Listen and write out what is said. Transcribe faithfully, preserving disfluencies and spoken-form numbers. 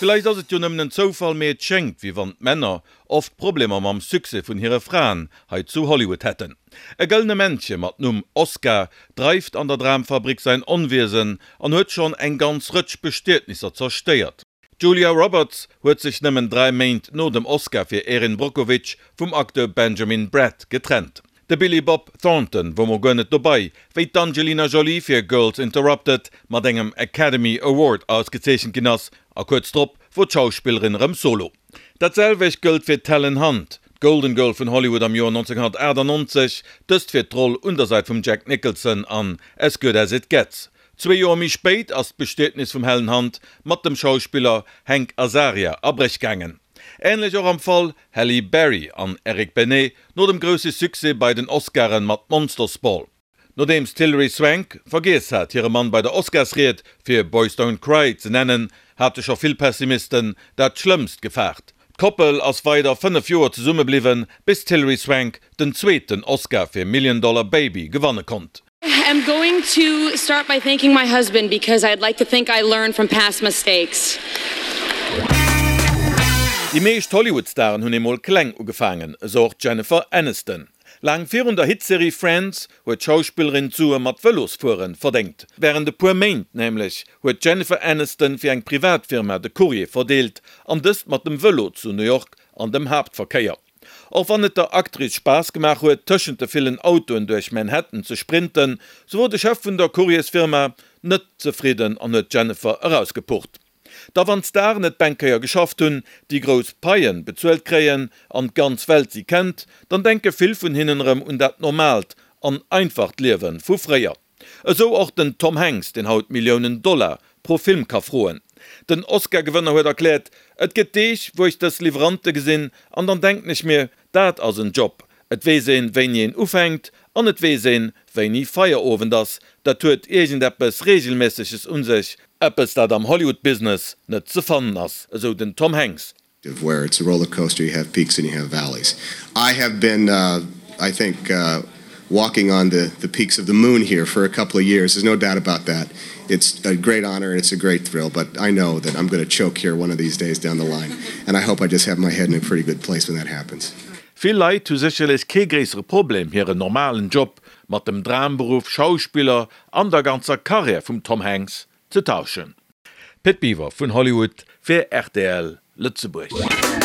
Villäicht ass et jo nëmmen en Zoufall, mee et schéngt, wéi wann d'Männer oft Problemer mam Succès vun hire Fraen hei zu Hollywood hätten. E gëllene Männche mat Numm Oscar dreift an der Dramfabrik säin Onwiesen an huet schonn eng ganz Rëtsch Bestietnisser zerstéiert. D'Julia Roberts huet sech nëmmen dräi Méint no dem Oscar fir Erin Brockovich vum Acteur Benjamin Bratt getrennt. De Billy Bob Thornton wor mol guer net dobei, wéi d'Angelina Jolie fir Girls Interrupted mat engem Academy Award ausgezeechent ginn ass, a kuerz drop wor d'Schauspillerin erëm solo. Dat selwecht gëllt fir d'Helen Hunt, d'Golden Girl vun Hollywood am Joer nonzénghunnertaachtanonzeg, dëst fir d'Roll un der Säit vum Jack Nicholson an As Good As It Gets. Zwee Joer méi spéit ass d'Bestietnis vum Helen Hunt mat dem Schauspiller Hank Azaria a Bréch gaangen. Änlech och am Fall Halle Berry an Eric Benet no dem grousse Succès bei den Oscaren mat Monster's Ball. Nodeems d'Hilary Swank vergiess hat, hire Mann bei der Oscarsried fir Boys Don't Cry ze nennen, hate scho vill Pessimisten dat Schlëmmst gefaart. D'Koppel ass weider fënnef Joer zesumme bliwwen, bis d'Hilary Swank den zweeten Oscar fir Million Dollar Baby gewanne konnt. I'm going to start by thanking my husband because I'd like to think I learned from past mistakes. Déi meescht Hollywood-Staren hunn emol kleng ugefaangen, esou och d'Jennifer Aniston. Laang virun der Hitserie Friends huet d'Schauspillerin d'Sue mat Vëlosfuere verdéngt. Wärend e puer Méint nämlech huet d'Jennifer Aniston fir eng Privatfirma de Courrier verdeelt, an dëst mat dem Vëlo zu New York an dem Haaptverkéier. Och wann et der Actrice Spaass gemaach huet, tëschent de villen Autoen duerch Manhattan ze sprinten, sou wor de Chef vun der Courriersfirma net zefridden an huet d'Jennifer erausgepucht. Da wann d'Staren et eng Kéier geschafft hunn, déi grouss Paien bezuelt kréien an d'ganz Welt si kennt, dann denke vill vun hinnen erëm un dat normaalt an einfacht Liewe vu fréier. Esou och den Tom Hanks, deen haut Milliounen Dollar pro Film ka froen. Den Oscar-Gewënner huet erkläert, Et gëtt Deeg, wou ech dës Liwwerante gesinn an dann denken ech mir, dat ass en Job. Et weess een, wéini een ufänkt an et weess een, wéini Feierowend ass. Dat huet iergendeppes Reegelméisseges un sech, eppes dat am Hollywood-Business net ze fannen ass, esou den Tom Hanks. Where it's a roller coaster, you have peaks and you have valleys. I have been, I think, walking on the the peaks of the moon here for a couple of years, there's no doubt about that. It's a great honor and it's a great thrill, but I know that I'm gonna choke here one of these days down the line and I hope I just have my head in a pretty good place when that happens. Vill Leit hu sécherlech kee gréissere Problem, hiren normalen Job mat dem Dramberuff Schauspiller an der ganzer Karriär vum Tom Hanks ze tauschen. Pit Biwer vun Hollywood fir rtl Lëtzebuerg.